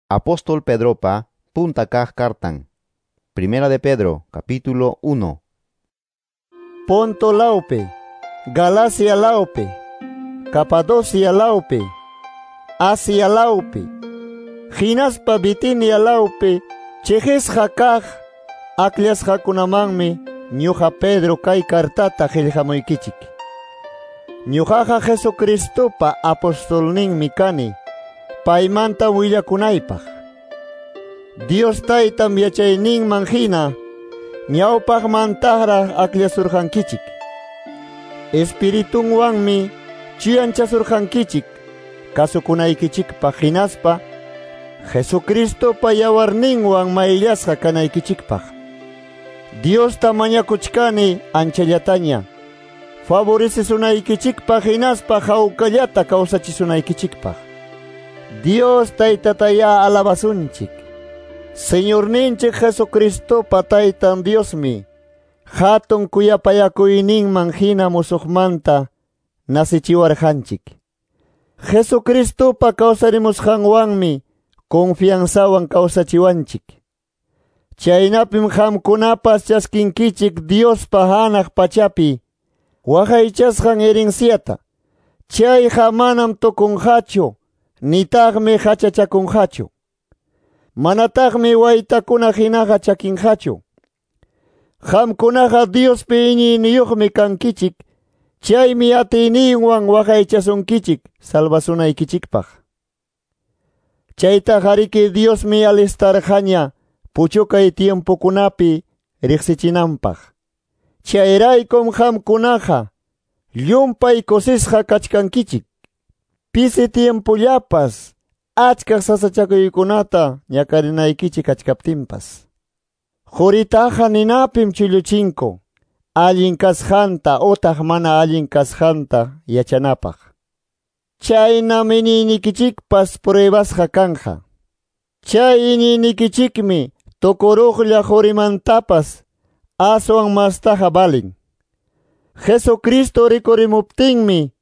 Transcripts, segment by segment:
Apóstol Pedropa punta kaq kartan. Primera de Pedro, capítulo 1. Ponto lawpi, Galacia lawpi, Capadocia lawpi, Asia lawpi, hinaspa Bitinia lawpi, chiqisqa kaq akllasqakunamanmi ñuqa Pedro kay kartata qillqamuykichik. Ñuqaqa Jesucristopa apostolninmi kani, paymanta willakunaypaq. Dios taytam yachayninman hina, ñawpaqmantaraq akllasurqankichik. Espiritunwanmi chuyanchasurqankichik, kasukunaykichikpaq hinaspa Jesucristopa yawarninwan mayllasqa kanaykichikpaq. Diosta mañakuchkani anchallataña, favorecesunaykichikpaq hinaspa hawkallata kawsachisunaykichikpaq. Dios taytataya alabasunchik. Señorninchik Jesucristopa taytan Diosmi, hatun kuyapayakuyninman hina musuqmanta nasichiwarqanchik. Jesucristopa kawsarimusqanwanmi confianzawan kawsachiwanchik. Chaynapim qamkunapas chaskinkichik Diospa hanaq pachapi waqaychasqan herenciata. Chayqa manam tukunqachu, nitaqmi hachachakunqachu. Manataqmi waytakuna hinaqa chakinqachu. Qamkunaqa Diospi iñiyniyuqmi kankichik, chaymi atiyninwan waqaychasunkichik salvasunaykichikpaq. Chaytaqariki Diosmi alistarqaña puchukay tiempokunapi riqsichinanpaq. Chayraykum qamkunaqa llumpay kusisqa kachkankichik. Pisi tiempollapas achka sasachakuykunata ñakarinaykichik kachkaptinpas. Quritaqa ninapim chulluchinku, allin kasqanta utaq mana allin kasqanta yachanapaq. Chaynam iñiynikichikpas pruebasqa kanja. Chay iñiynikichikmi tukuruqlla qurimantapas aswan mastaqa valin. Jesucristo rikurimuptinmi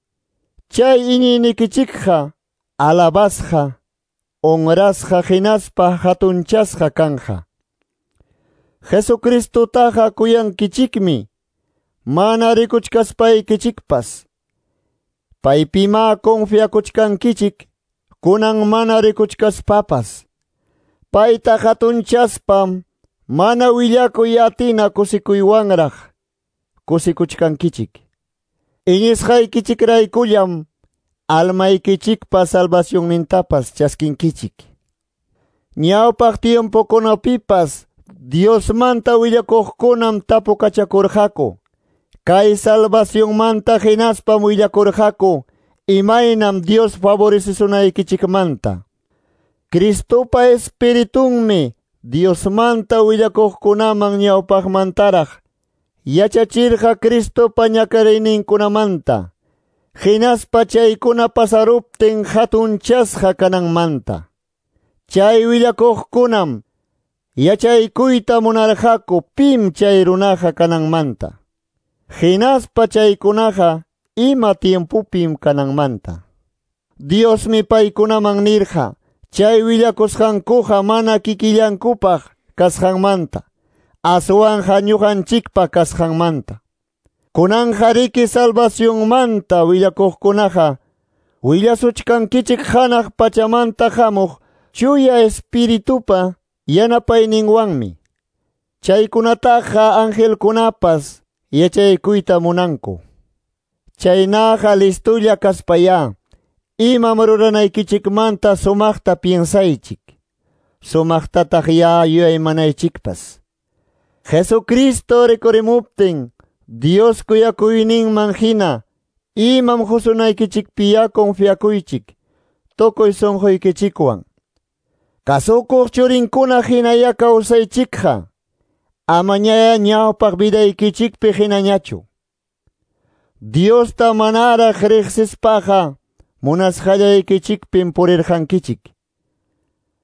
chay iñiynikichikqa alabasqa, honrasqa hinaspa hatunchasqa kanja. Jesucristotaqa kuyankichikmi, mana rikuchkaspaykichikpas. Paypima confiakuchkankichik, kunan mana rikuchkaspapas. Payta hatunchaspam mana willakuy atina kusikuywanraq kusikuchkankichik. Iñisqaykichikraykullam almaykichikpa salvacionnintapas chaskinkichik. Ñawpaq tiempokunapipas Diosmanta willakuqkunam tapukachakurqaku. Kay salvacionmanta hinaspam willakurqaku imaynam Dios favorecesunaykichikmanta. Cristopa espiritunmi Diosmanta willakuqkunaman ñawpaqmantaraq yachachirqa Cristopa ñakariyninkunamanta, hinaspa chaykuna pasaruptin hatunchasqa kananmanta. Chay willakuqkunam yachaykuyta munarqaku pim chay runaqa kananmanta, hinaspa chaykunaqa ima tiempupim kananmanta. Diosmi paykunaman nirqa chay willakusqankuqa mana kikillankupaq kasqanmanta, aswanqa ñuqanchikpaq kasqanmanta. Kunanqa riki salvacionmanta willakuqkunaqa willasuchkankichik hanaq pachamanta hamuq chuya espiritupa yanapayninwanmi. Chaykunataqa angelkunapas yachaykuyta munanku. Chaynaqa listulla kaspayá imam ruranaykichikmanta sumaqta piensaychik, sumaqtataq ya yuyaymanaychikpas. Jesucristo rikurimuptin Dios kuyakuyninman hina imam qusunaykichikpiya confiakuychik tukuy sunquykichikwan. Kasukuq churinkuna hinaya kawsaychikqa, amañaya ñawpaq vidaykichikpi hinañachu. Diosta manaraq riqsispaqa munasqallaykichikpim purirqankichik.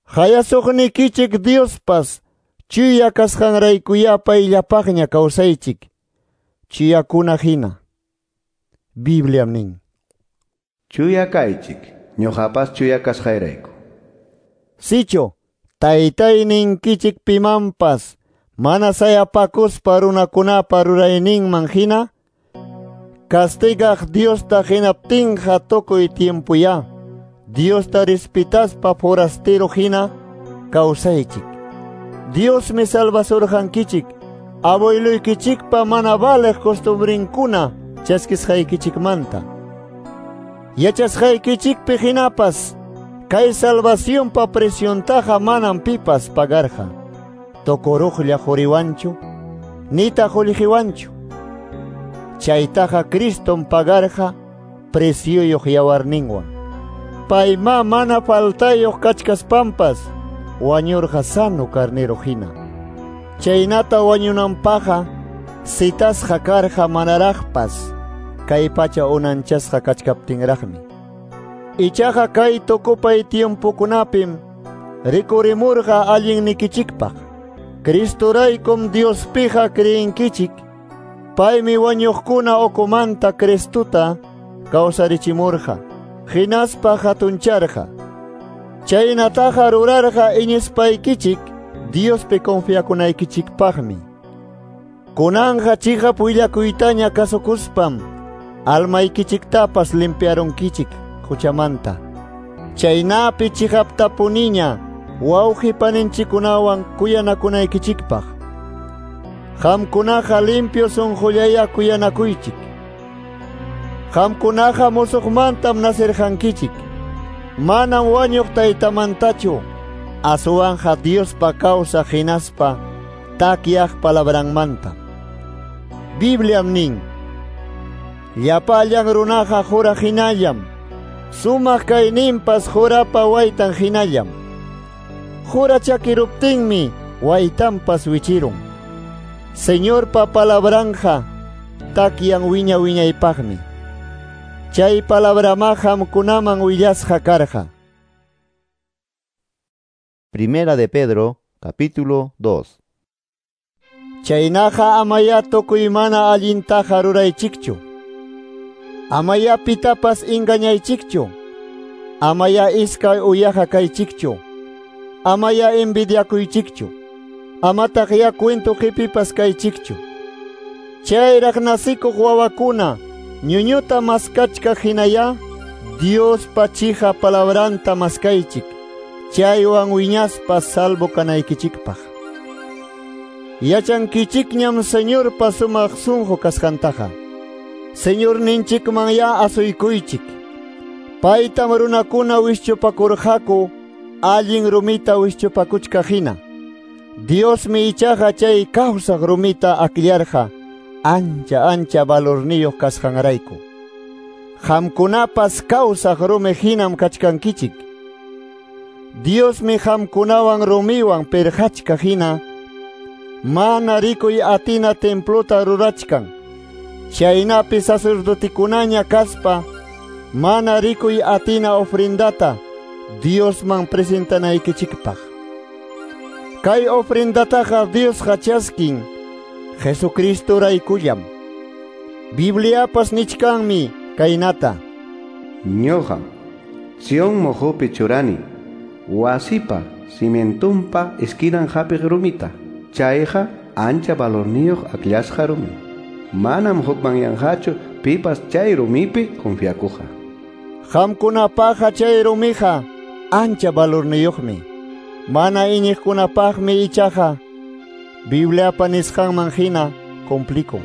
Hayasuqnikichik Diospas chuya kasqanraykuya payllapaqña kawsaychik, chuyakuna hina. Bibliam nin: Chuya kaychik, ñuqapas chuya kasqayrayku. Sichu taytayninkichik pimanpas mana sayapakuspa runakunapa rurayninman hina castigaq Diosta hinaptinqa tukuy tiempuya Diosta respetaspa forastero hina kawsaychik. Diosmi salvasurqankichik abueluykichikpa mana valeq costumbrinkuna chaskisqaykichikmanta. Yachasqaykichikpi hinapas kay salvacionpa presiontaqa manam pipas pagarqa. Tukuruqlla quriwanchu nitaq qullqiwanchu. Chaytaqa Cristom pagarqa precioyuq yawarninwan. Payma mana faltayuq kachkaspampas wañurqa sano carnero hina. Chaynata wañunanpaqqa citasqa karqa manaraqpas kay pacha unanchasqa kachkaptinraqmi. Ichaqa kay tukupay tiempokunapim rikurimurqa allinnikichikpaq. Cristoraykum Diospiqa creenkichik. Paymi wañuqkuna ukumanta Cristuta kawsarichimurqa, hinaspa hatuncharqa. Chaynataqa rurarqa iñispaykichik Diospi confiakunaykichikpaqmi. Kunanqa chiqap willakuytaña kasukuspam almaykichiktapas limpiarunkichik huchamanta. Chaynapi chiqaptapuniña wawqi paninchikkunawan kuyanakunaykichikpaq. Qamkunaqa limpio sunqullaya kuyanakuychik. Qamkunaqa musuqmantam nasirqankichik. Manam wañuq taytamantachu, aswanqa Diospa kawsaq hinaspa takyaq palabranmanta. Bibliam nin: Llapallan runaqa qura hinallam, sumaq kayninpas qurapa waytan hinallam. Qura chakiruptinmi waytanpas wichirun. Señorpa palabranja takyan wiña wiñaypaqmi. Chay palabrama qamkunaman willasqa karqa. Primera de Pedro, capítulo 2. Chaynaqa amaya tukuy mana allintaqa ruraychikchu. Amaya pitapas engañaychikchu. Amaya iskay uyaqa kaychikchu. Amaya envidiakuychikchu. Amataq ya cuento qipipas kaychikchu. Chayraq nasikuq wawakuna ñuñuta maskachkaq hinaya Diospa chiqa palabranta maskaychik. Chaywan wiñaspa salvo kanaykichikpaq. Yachankichikñam Señorpa sumaq sunqu kasqantaqa. Señorninchikman ya asuykuychik. Paytam runakuna wischupakurqaku allin rumita wischupakuchkaq hina. Diosmi ichaqa chay kawsaq rumita akllarqa ancha ancha valorniyuq kasqanrayku. Qamkunapas kawsaq rumi hinam kachkankichik. Diosmi qamkunawan rumiwan pirqachkaq hina mana rikuy atina templota rurachkan. Chaynapi sacerdotikunaña kaspa mana rikuy atina ofrendata Diosman presentanaykichikpaq. Kay ofrendataqa Diosqa chaskin Jesucristoraykullam. Bibliapas nichkanmi kaynata: Ñuqam Sion mojopi churani wasipa cimientumpa esquinan hapiq rumita. Chayqa ancha valorniyuq akllasqa rumi. Manam hukmanyanqachu pipas chay rumipi confiakuqa. Qamkunapaqa chay rumiqa ancha valorniyuqmi. Mana iñiqkunapaqmi ichaqa Bibliapa nisqanman hina cumplikun.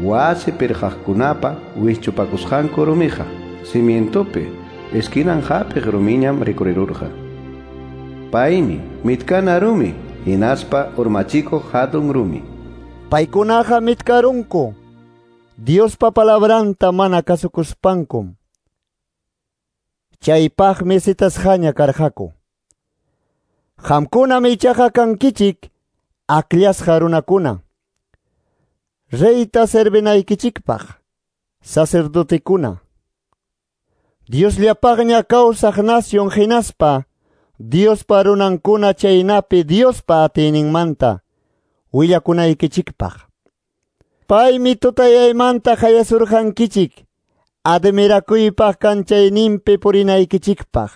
Wasi pirqaqkunapa wischupakusqanku rumiqa cimientupi esquinan hapiq rumiñam rikurirurqa. Paymi mitkana rumi hinaspa urmachikuq hatun rumi. Paykunaqa mitkarunku Diospa palabranta mana kasukuspankum. Chaypaqmi citasqaña karqaku. Qamkunam ichaqa kankichik akllashqa runakuna. Reyta servinaykichikpaq, sacerdotekuna. Diosllapaqña kawsaq nación hinaspa Diospa runankuna chaynapi Diospa atiyninmanta willakunaykichikpaq. Paymi tutayaymanta hayasurqankichik admirakuypaq kanchayninpi purinaykichikpaq.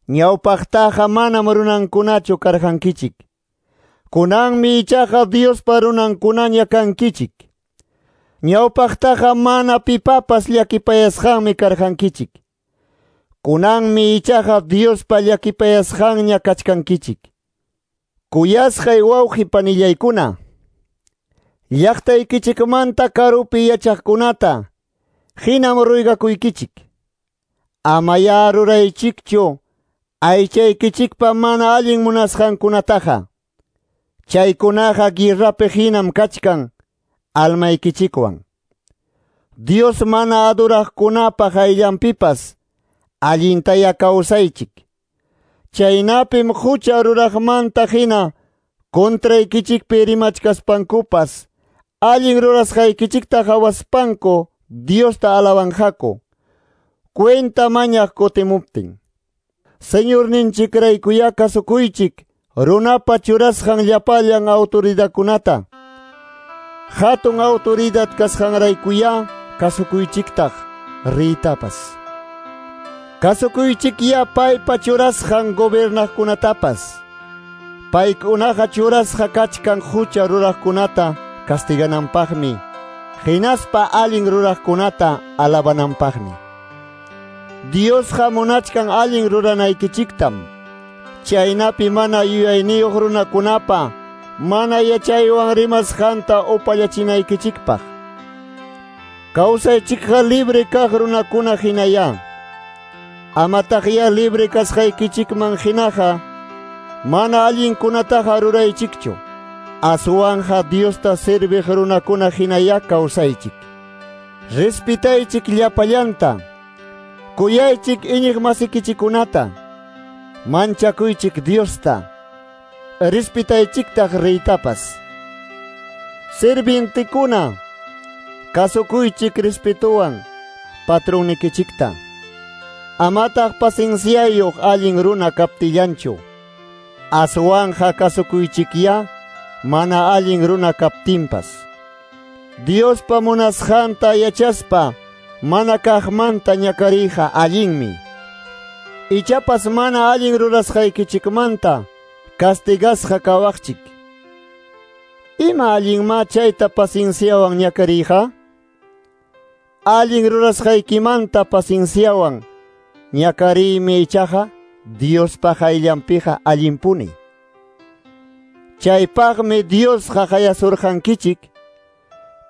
Ñawpaqtaqa manam runankunachu karqankichik. Kunanmi ichaqa Diospa runankunaña kankichik. Ñawpaqtaqa mana pipapas llakipayasqanmi karqankichik. Kunanmi ichaqa Diospa llakipayasqanña kachkankichik. Kuyasqay wawqi panillaykuna, llaqtaykichikmanta karupi yachaqkunata hinam ruygakuykichik. Amaya ruraychikchu aychaykichikpa mana allin munasqankunataqa. Chaykunaqa guerrapi hinam kachkan almaykichikwan. Dios mana adoraqkunapa qayllanpipas allintaya kawsaychik. Chaynapim hucha ruraqmanta hina contraykichikpi rimachkaspankupas allin rurasqaykichikta qawaspanku Diosta alabanqaku cuenta mañaq kutimuptin. Señorninchikraykuya kasukuychik runapa churasqan llapallan autoridadkunata. Hatun autoridad kasqanraykuya kasukuychiktaq riytapas. Kasukuychikya paypa churasqan gobernaqkunatapas. Paykunaqa churasqa kachkan hucha ruraqkunata castigananpaqmi, hinaspa allin ruraqkunata alabananpaqmi. Diosqa munachkan allin ruranaykichiktam. Chaynapi mana yuyayniyuq runakunapa mana yachaywan rimasqanta upallachinaykichikpaq. Kawsaychikqa libre kaq runakuna hinaya. Amataqya libre kasqaykichikman hinaqa mana allinkunataqa ruraychikchu. Aswanja Diosta serviq runakuna hinaya kawsaychik. Respetaychik llapallanta. Kuyaychik iñiq masikichikunata. Manchakuychik Diosta. Respetaychiktaq reytapas. Sirvientekuna, kasukuychik respetuwan patronnikichikta. Amataq pacienciayuq allin runa kaptillanchu. Aswanja kasukuychikya mana allin runa kaptinpas. Diospa munasqanta yachaspa mana kaqmanta ñakariyqa allinmi. Ichapas mana allin rurasqaykichikmanta castigasqa kawaqchik. Ima allinma chayta pacienciawan ñakariyqa? Allin rurasqaykimanta pacienciawan ñakariymi ichaqa Diospa qayllanpiqa allinpuni. Chaypaqmi Diosqa qayasurqankichik.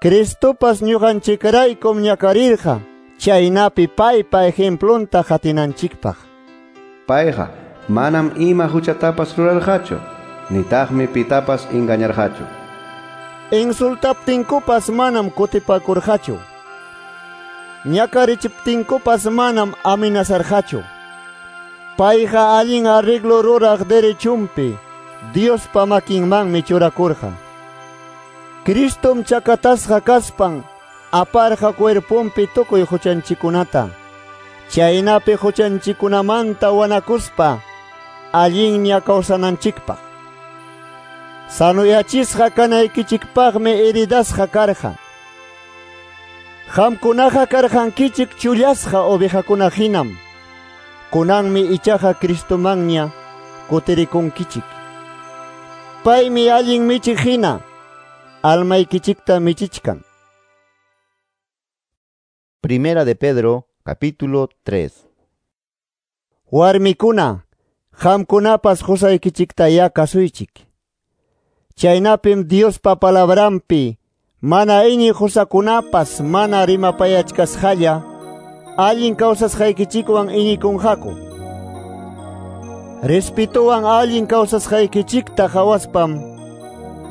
Cristopas ñuqanchikraykum ñakarirqa, chaynapi paypa ejemplunta qatinanchikpaq. Payqa manam ima huchatapas rurarqachu, nitaqmi pitapas engañarqachu. Insultaptinkupas manam kutipakurqachu. Ñakarichiptinkupas manam amenazarqachu. Payqa allin arreglo ruraq derechunpi Diospa makinmanmi churakurqa. Cristom chakatasqa kaspan aparqa cuerponpi tukuy huchanchikunata. Chaynapi huchanchikunamanta wanakuspa allinña kawsananchikpaq. Sanuyachisqa kanaykichikpaqmi heridasqa karqa. Qamkunaqa karqankichik chullasqa ovejakuna hinam. Kunanmi ichaqa Cristomanña kutirikunkichik. Paymi allin michiq hina almaykichikta michichkan. Primera de Pedro, capítulo 3. Warmikuna, qamkunapas qusaykichiktaya kasuychik. Chaynapim Diospa palabranpi mana iñiq qusakunapas mana rimapayachkasqalla allin kawsasqaykichikwan iñikunqaku. Respetuwan allin kawsasqaykichikta qawaspam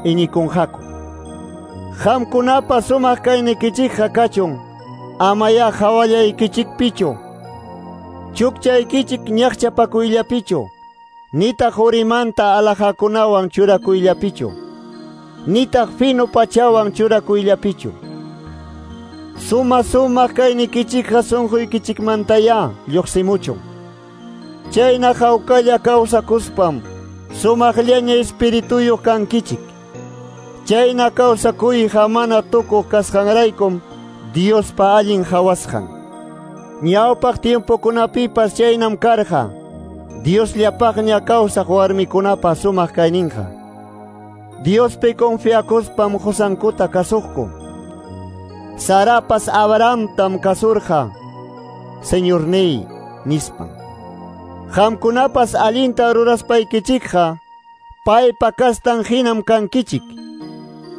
iñikunqaku. Qamkunapa sumaq kaynikichikqa kachun, amaya hawallaykichikpichu, chukchaykichik ñaqchapakuyllapichu, nitaq urimanta alajakunawan churakuyllapichu, nitaq fino pachawan churakuyllapichu. Suma sumaq kaynikichikqa sunquykichikmantaya lluqsimuchun. Chayna hawkalla kawsakuspam sumaqllaña espirituyuq kankichik. Chayna kawsakuyqa mana tukuq kasqanraykum Diospa allin hawasqan. Ñawpaq tiempokunapipas chaynam karqa. Diosllapaqña kawsaq warmikunapa sumaq kayninqa. Diospi confiakuspam qusankuta kasuqku. Sarapas Abrahamtam kasurqa, Señorniy nispan. Qamkunapas allinta ruraspaykichikqa, paypa kastan hinam kankichik.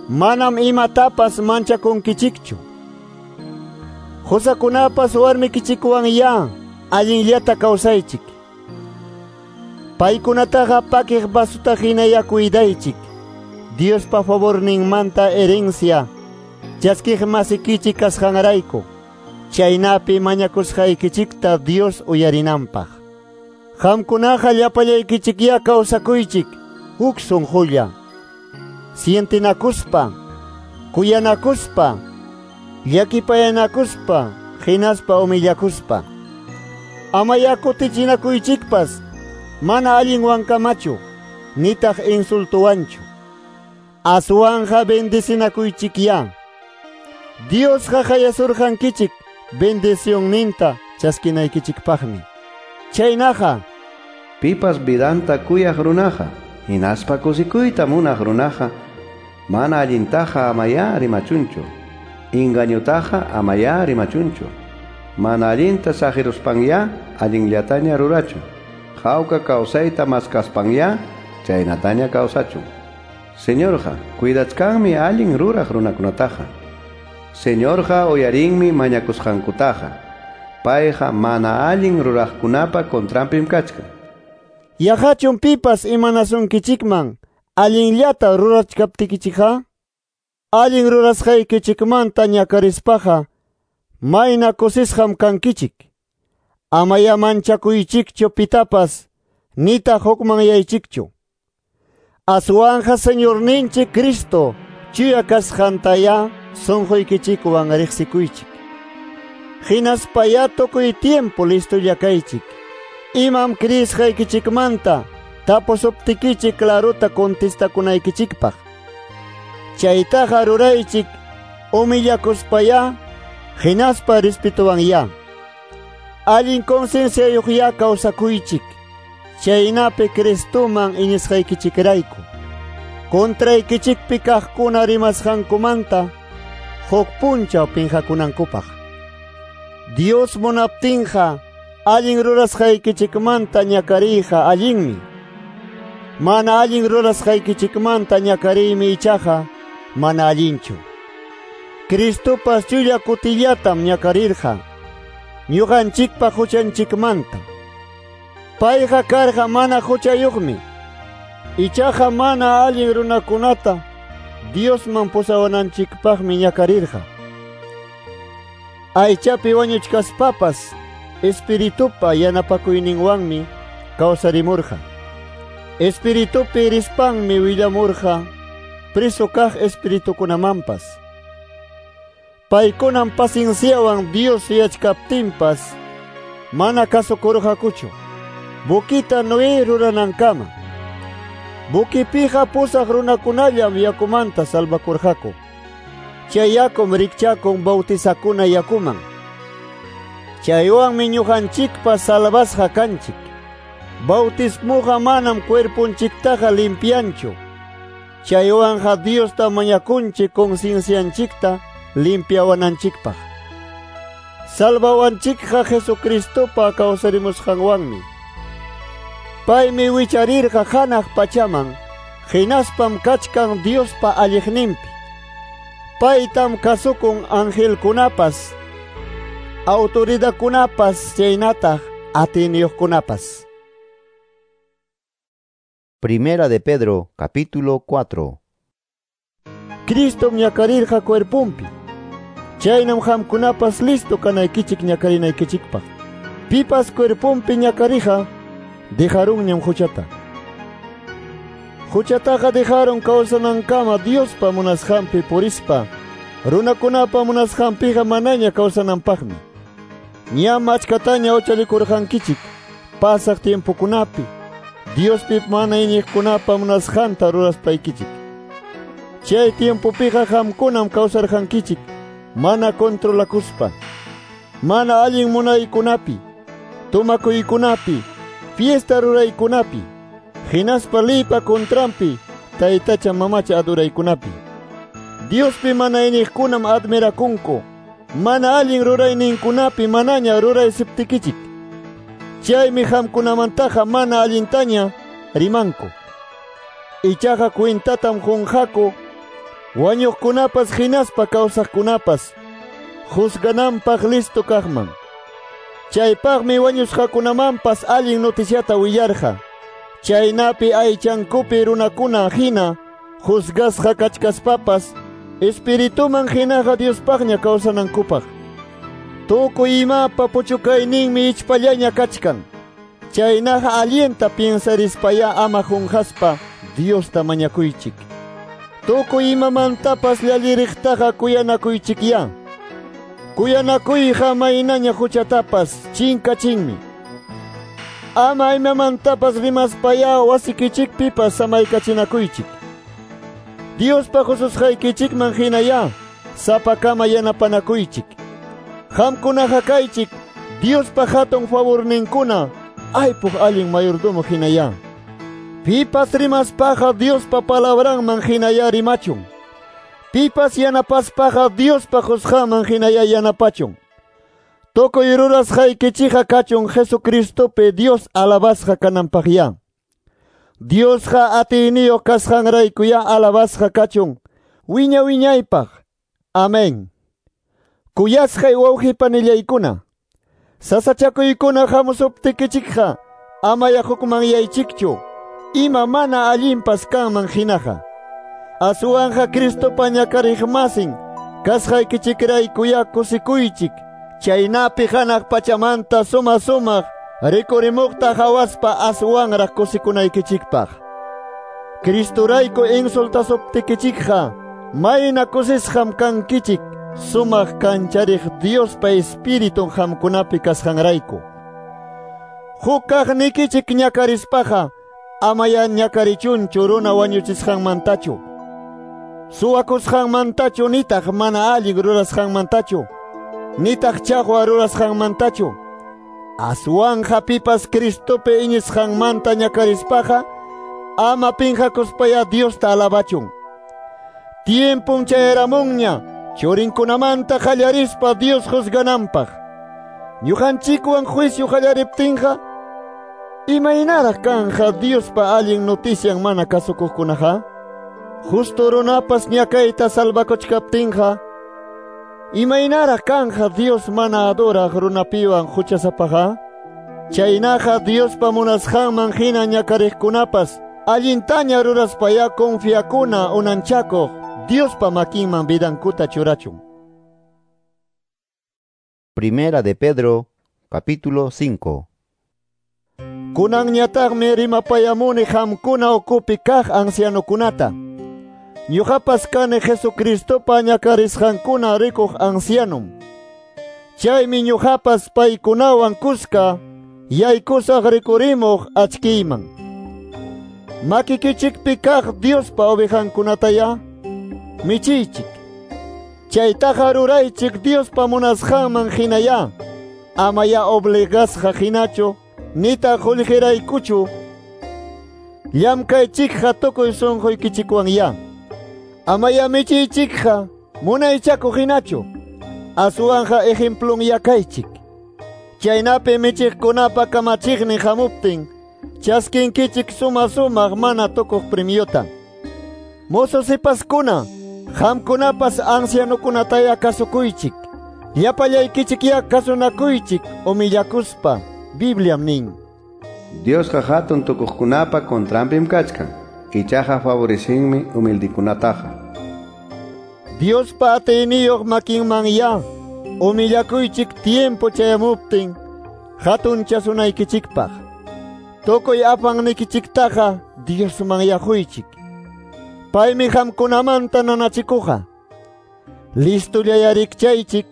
Manam imatapas manchakunkichikchu. Qusakunapas warmikichikwan ya allinllata kawsaychik. Paykunataqa pakiq vasuta hinaya cuidaychik. Diospa favorninmanta herencia chaskiq masikichik kasqanrayku. Chaynapi mañakusqaykichikta Dios uyarinanpaq. Qamkunaqa llapallaykichikya kawsakuychik huk sunqulla. Sientinakuspa, kuyanakuspa, llakipayanakuspa, hinaspa humillakuspa. Amaya kutichinakuychikpas mana allinwankamachu, nitaq insultuwanchu. Aswanja bendecinakuychikya. Diosqa hayasurqankichik bendicionninta chaskinaykichikpaqmi. Chaynaqa pipas vidanta kuyaq runaqa, hinaspa kusikuyta munaq runaqa, mana allintaqa amaya rimachunchu, engañotaqa amaya rimachunchu, mana allinta saqiruspaña allinllataña rurachun, hawka kawsayta maskaspaña chaynataña kawsachun. Señorqa cuidachkanmi allin ruraq runakunataqa. Señorqa uyarinmi mañakusqankutaqa. Payqa mana allin ruraqkunapa contranpim kachkan. Yaqachun pipas imanasunkichikman allinllata rurachkaptikichikqa, allin rurasqaykichikmanta ñakarispaqa mayna kusisqam kankichik. Amaya manchakuychikchu pitapas, nitaq hukmanyaychikchu. Aswanja Señorninchik Cristo chuya kasqantaya sunquykichikwan riqsikuychik. Hinaspaya tukuy tiempo listolla kaychik. Imam kriisqaykichikmanta tapusuptikichik claruta contestakunaykichikpaq. Chaytaqa ruraychik humillakuspaya hinaspa respetuwanya. Allin concienciayuqya kawsakuychik. Chaynapi Cristoman iñisqaykichikrayku. Contraykichikpi kaqkuna rimasqankumanta huk punchaw pinqakunankupaq. Dios munaptinqa allin rurasqaykichikmanta ñakariyqa allinmi. Mana allin rurasqaykichikmanta ñakariymi ichaqa mana allinchu. Cristopas chulla kutillatam ñakarirqa ñuqanchikpa huchanchikmanta. Payqa karqa mana huchayuqmi. Ichaqa mana allin runakunata Diosman pusawananchikpaqmi ñakarirqa. Aychapi wañuchkaspapas Espiritupa yanapakuyninwanmi kawsarimurqa. Espiritupi rispanmi willamurqa preso kaq espiritukunamanpas. Paykunam pacienciawan Dios yachkaptinpas mana kasukurqakuchu. Bukita Noé ruranankama. Bukipiqa pusaq runakunallam yakumanta salvakurqaku. Chay yakum rikchakun bautizakuna yakuman. Chaywanmi ñuqanchikpas salvasqa kanchik. Bautismuqa manam cuerpunchiktaqa limpianchu. Chaywanqa Diosta mañakunchik conciencianchikta limpiawananchikpaq. Salvawanchikqa Jesucristopa kawsarimusqanwanmi. Paymi wicharirqa hanaq pachaman, hinaspam kachkan Diospa alliqninpi. Paytam kasukun angelkunapas, autoridadkunapas chaynataq atiyniyuqkunapas. Primera de Pedro, capítulo 4. Cristom ñakarirqa cuerpunpi. Chaynam qamkunapas listo kanaykichik ñakarinaykichikpaq. Pipas cuerpunpi ñakarija dejarunñam huchata. Huchataqa dejaron kawsanankama Diospa munasqanpi purispa, runakunapa munasqanpiqa manaña kawsananpaqmi. Ñam achkataña huchallikurqankichik pasaq tiempokunapi, Diospi mana iñiqkunapa munasqanta ruraspaykichik. Chay tiempopiqa qamkunam kawsarqankichik mana controlakuspa, mana allin munaykunapi, tumakuykunapi, fiesta ruraykunapi, hinaspa leypa contranpi, taytacha mamacha adoraykunapi. Diospi mana iñiqkunam admirakunku, mana allin rurayninkunapi manaña ruraysiptikichik. Chaymi qamkunamantaqa mana allintaña rimanku. Ichaqa cuentatam qunqaku, wañuqkunapas hinaspa kawsaqkunapas juzgananpaq listo kaqman. Chaypaqmi wañusqakunamanpas allin noticiata willarqa. Chaynapi aychankupi runakuna hina juzgasqa kachkaspapas espirituman hinaqa Diospaqña kawsanankupaq. Tukuy imapa puchukayninmi ichpallaña kachkan. Chaynaqa allinta piensarispaya ama qunqaspa Diosta mañakuychik. Tukuy imamantapas llalliriqtaqa kuyanakuychikya. Kuyanakuyqa maynaña huchatapas chinkachinmi. Ama imamantapas rimaspaya wasikichikpipas samaykachinakuychik. Diospa hususqaykichikman hinaya sapakama yanapanakuychik. Qamkunaqa kaychik Diospa hatun favorninkuna aypuq allin mayordomo hinaya. Pipas rimaspaqa Diospa palabranman hinaya rimachun. Pipas yanapaspaqa Diospa qusqanman hinaya yanapachun. Tukuy rurasqaykichikqa kachun Jesucristopi Dios alabasqa kananpaqya. Diosqa atiyniyuq kasqanraykuya alabasqa kachun wiña wiñaypaq. Amén. Kuyasqay wawqipanillaykuna, sasachakuykuna hamusuptikichikqa amaya hukmanyaychikchu ima mana allinpas kanman hinaqa. Aswanqa Cristopa ñakariqmasin kasqaykichikraykuya kusikuychik, chaynapi hanaq pachamanta suma sumaq rikurimuqta hawaspa aswanraq kusikunaykichikpaq. Cristorayku insultasuptikichikqa mayna kusisqam kankichik sumaq kanchariq Diospa Espiritun qamkunapi kasqanrayku. Huk kaqnikichik ñakarispaqa amaya ñakarichunchu runa wañuchisqanmantachu, suwakusqanmantachu, nitaq mana allin rurasqanmantachu, nitaq chaqwa rurasqanmantachu. Aswanja pipas Cristopi iñisqanmanta ñakarispaqa ama pinqakuspaya Diosta alabachun. Tiempun chayaramunña churinkunamanta qallarispa Dios juzgananpaq. Ñuqanchikwan juicio qallariptinqa imaynaraq kanja Diospa allin notician mana kasukuqkunaqa? Justo runapas ñakayta salvakuchkaptinqa imaynaraq kanja Dios mana adoraq runapiwan huchasapaqa? Chaynaqa Diospa munasqanman hina ñakariqkunapas allintaña ruraspaya confiakuna unanchakuq Diospa makinman vidankuta churachun. Primera de Pedro, capítulo 5. Kunanñataqmi rimapayamuni qamkuna ukupi kaq ancianokunata. Ñuqapas kani Jesucristopa ñakarisqankuna rikuq ancianum. Chaymi ñuqapas paykunawan kuska yaykusaq rikurimuq achkiyman. Makikichikpi kaq Diospa ovejankunataya michiychik. Chaytaqa ruraychik Diospa munasqanman hinaya. Amaya obligasqa hinachu nitaq qullqiraykuchu. Llamkaychikqa tukuy sunquykichikwanya. Amaya michiychikqa munaychakuq hinachu. Aswanja ejemplun yakaychik. Chaynapi michiqkunapa kamachiqnin hamuptin chaskinkichik suma sumaq mana tukuq premiota. Mozo sipaskuna, qamkunapas ancianokunataya kasukuychik. Llapallaykichik ya kasunakuychik humillakuspa. Bibliam nin: Diosqa hatun tukuqkunapa contranpim kachkan, ichaqa favorecinmi humildikunataqa. Diospa atiyniyuq makinman ya humillakuychik tiempo chayamuptin hatunchasunaykichikpaq. Tukuy apannikichiktaqa Diosman yaquychik. Paymi qamkunamanta nanachikuqa. Listolla rikchaychik,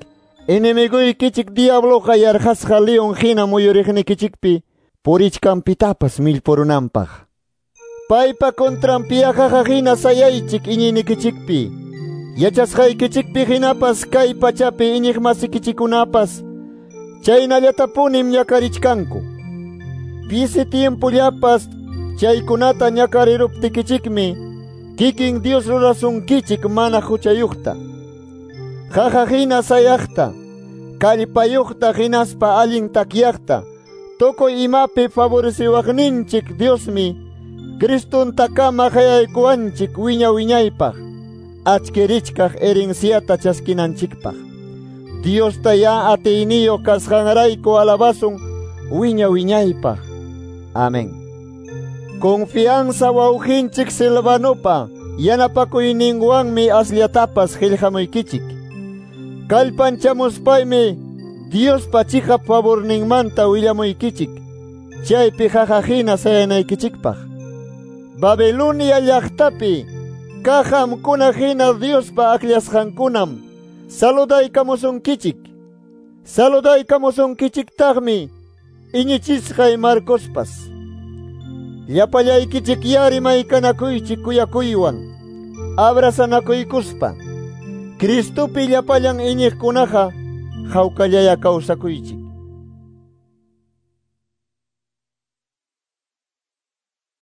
enemiguykichik diabloqa yarqasqa león hina muyuriqnikichikpi purichkanpitapas millpurunanpaq. Paypa contranpiaqaqa hina sayaychik iñiynikichikpi. Yachasqaykichikpi hinapas kay pachapi iñiqmasikichikunapas chaynallatapunim ñakarichkanku. Pisi tiempollapas chaykunata ñakariruptikichikmi kikin Dios rurasunkichik mana huchayuqta. Qaqa hina sayaqta, kallpayuqta hinaspa allin takyaqta, tukuy imapi favoreciwaqninchik Diosmi Cristontakama qayaykuwanchik wiña wiñaypaq, achkirichkaq herenciata chaskinanchikpaq. Diosta ya atiyniyuq kasqanrayku alabasun wiña wiñaypaq. Amén. Confianza wawqinchik Silvanopa yanapakuyninwanmi asllatapas qillqamuykichik. Kallpanchamuspaymi Diospa chiqap favorninmanta willamuykichik, chaypi qaqa hina sayanaykichikpaq. Babilonia llaqtapi kaq qamkuna hina Diospa akllasqankunam saludaykamusunkichik. Saludaykamusunkichiktaqmi iñichisqay Marcospas. Llapallaykichik yarimaykanakuychik kuyakuywan, abrazanakuykuspa. Cristopi llapallan iñiqkunaqa hawkallaya kawsakuychik.